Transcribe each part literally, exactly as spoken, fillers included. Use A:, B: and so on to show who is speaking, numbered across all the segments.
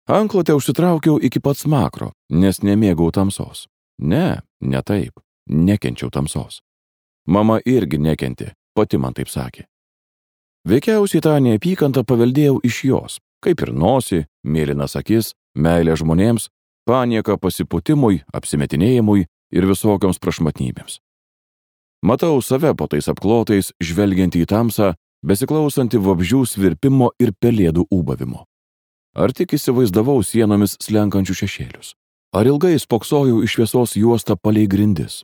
A: Anklotę užsitraukiau iki pat smakro, nes nemėgau tamsos. Ne, ne taip, nekenčiau tamsos. Mama irgi nekentė, pati man taip sakė. Veikiausiai tą neapykantą paveldėjau iš jos, kaip ir nosį, mėlynas akis, meilę žmonėms, panieką pasiputimui, apsimetinėjimui ir visokioms prašmatnybėms. Matau save po tais apklotais, žvelgiantį į tamsą, besiklausantį vabzdžių svirpimo ir pelėdų ūbavimo. Ar tik įsivaizdavau sienomis slenkančių šešėlius? Ar ilgai spoksojau iš šviesos juostą palei grindis,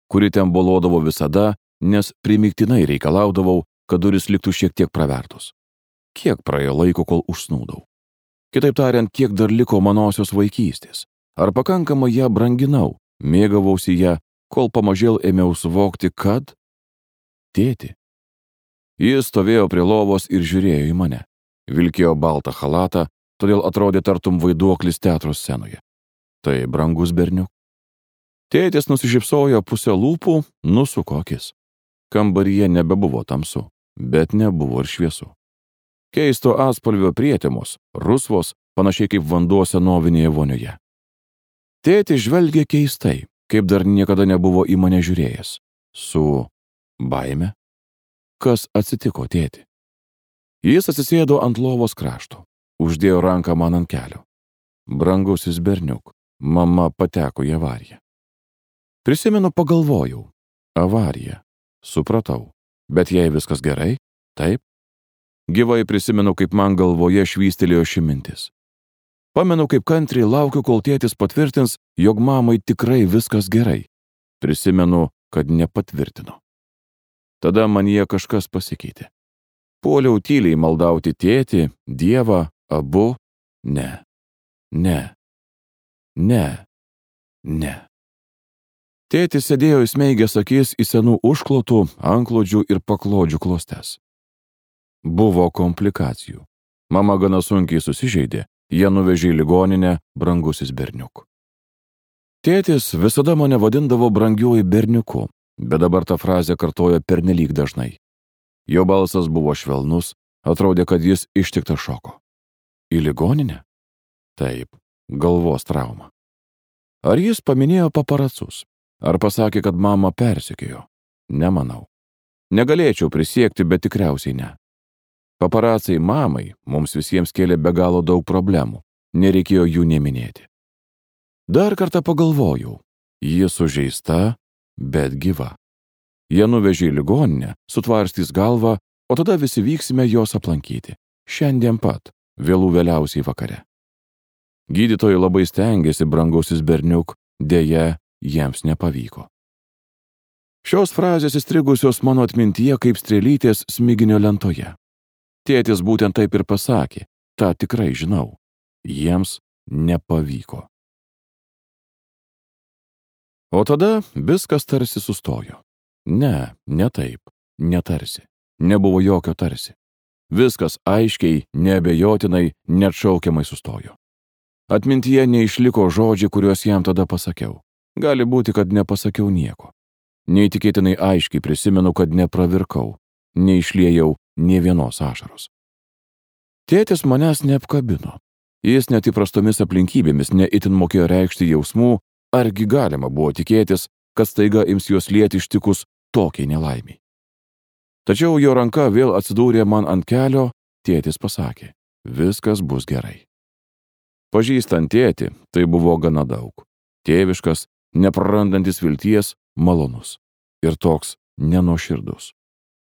A: kuri ten bolodavo visada, nes primygtinai reikalaudavau, kad duris liktų šiek tiek pravertos? Kiek praėjo laiko, kol užsnūdau? Kitaip tariant, kiek dar liko manosios vaikystės? Ar pakankamai ją branginau, mėgavausi ją, kol pamažėl ėmiau suvokti, kad... Tėti. Jis stovėjo prie lovos ir žiūrėjo į mane. Vilkėjo baltą chalatą, todėl atrodė tartum vaiduoklis teatro scenoje. Tai brangus berniuk. Tėtis nusišypsojo pusę lūpų, nusuko akis. Kambaryje nebebuvo tamsu, bet nebuvo ir šviesu. Keisto atspalvio prietemos, rusvos, panašiai kaip vanduo senovinėje vonioje. Tėtis žvelgė keistai, kaip dar niekada nebuvo į mane žiūrėjęs. Su baime? Kas atsitiko, tėti? Jis atsisėdo ant lovos krašto, uždėjo ranką man ant kelio. Brangusis berniuk, mama pateko į avariją. Prisimenu, pagalvojau. Avarija. Supratau. Bet jei viskas gerai, taip? Gyvai prisimenu, kaip man galvoje švystelėjo ši mintis. Pamenu, kaip kantriai laukiu, kol tėtis patvirtins, jog mamai tikrai viskas gerai. Prisimenu, kad nepatvirtino. Tada manyje kažkas pasikeitė. Puoliau tyliai maldauti tėtį, Dievą, abu. Ne. Ne. Ne. Ne. Tėtis sėdėjo įsmeigęs akis į senų užklotų, antklodžių ir paklodžių klostes. Buvo komplikacijų. Mama gana sunkiai susižeidė, ją nuvežė į ligoninę, brangusis berniuk. Tėtis visada mane vadindavo brangiuoju berniuku, bet dabar tą frazę kartojo pernelyg dažnai. Jo balsas buvo švelnus, atrodė, kad jis ištiktas šoko. Į ligoninę? Taip, galvos trauma. Ar jis paminėjo paparacus? Ar pasakė, kad mama persekiojo? Nemanau. Negalėčiau prisiekti, bet tikriausiai ne. Paparacai mamai mums visiems kėlė be galo daug problemų, nereikėjo jų neminėti. Dar kartą pagalvojau, ji sužeista, bet gyva. Jie nuvežė į ligoninę, sutvarstys galvą, o tada visi vyksime jos aplankyti. Šiandien pat, vėlų vėliausiai vakare. Gydytojai labai stengiasi, brangusis berniuk, deja, jiems nepavyko. Šios frazės įstrigusios mano atmintyje kaip strėlytės smiginio lentoje. Tėtis būtent taip ir pasakė, tą tikrai žinau. Jiems nepavyko. O tada viskas tarsi sustojo. Ne, ne taip, netarsi. Nebuvo jokio tarsi. Viskas aiškiai, neabejotinai, neatšaukiamai sustojo. Atmintyje neišliko žodžiai, kuriuos jam tada pasakiau. Gali būti, kad nepasakiau nieko. Neįtikėtinai aiškiai prisimenu, kad nepravirkau, neišliejau nė vienos ašaros. Tėtis manęs neapkabino. Jis net įprastomis aplinkybėmis neitin mokėjo reikšti jausmų, argi galima buvo tikėtis, kad staiga ims juos lieti ištikus tokiai nelaimiai. Tačiau jo ranka vėl atsidūrė man ant kelio, tėtis pasakė, viskas bus gerai. Pažįstant tėtį, tai buvo gana daug. Tėviškas, neprarandantis vilties, malonus. Ir toks nenuoširdus.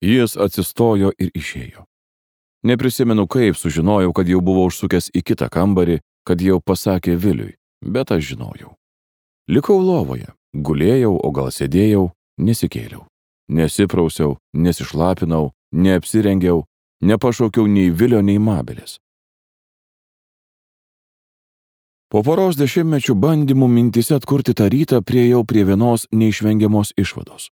A: Jis atsistojo ir išėjo. Neprisimenu, kaip sužinojau, kad jau buvo užsukęs į kitą kambarį, kad jau pasakė Viliui, bet aš žinojau. Likau lovoje, gulėjau, o gal sėdėjau, nesikėliau. Nesiprausiau, nesišlapinau, neapsirengiau, nepašaukiau nei Vilio, nei Mabelės. Po poros dešimtmečių bandymų mintise atkurti tą rytą priejau prie vienos neišvengiamos išvados.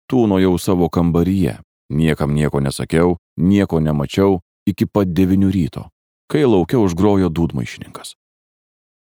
A: Tūnojau savo kambaryje, niekam nieko nesakiau, nieko nemačiau iki pat devynių ryto, kai lauke užgrojo dūdmaišininkas.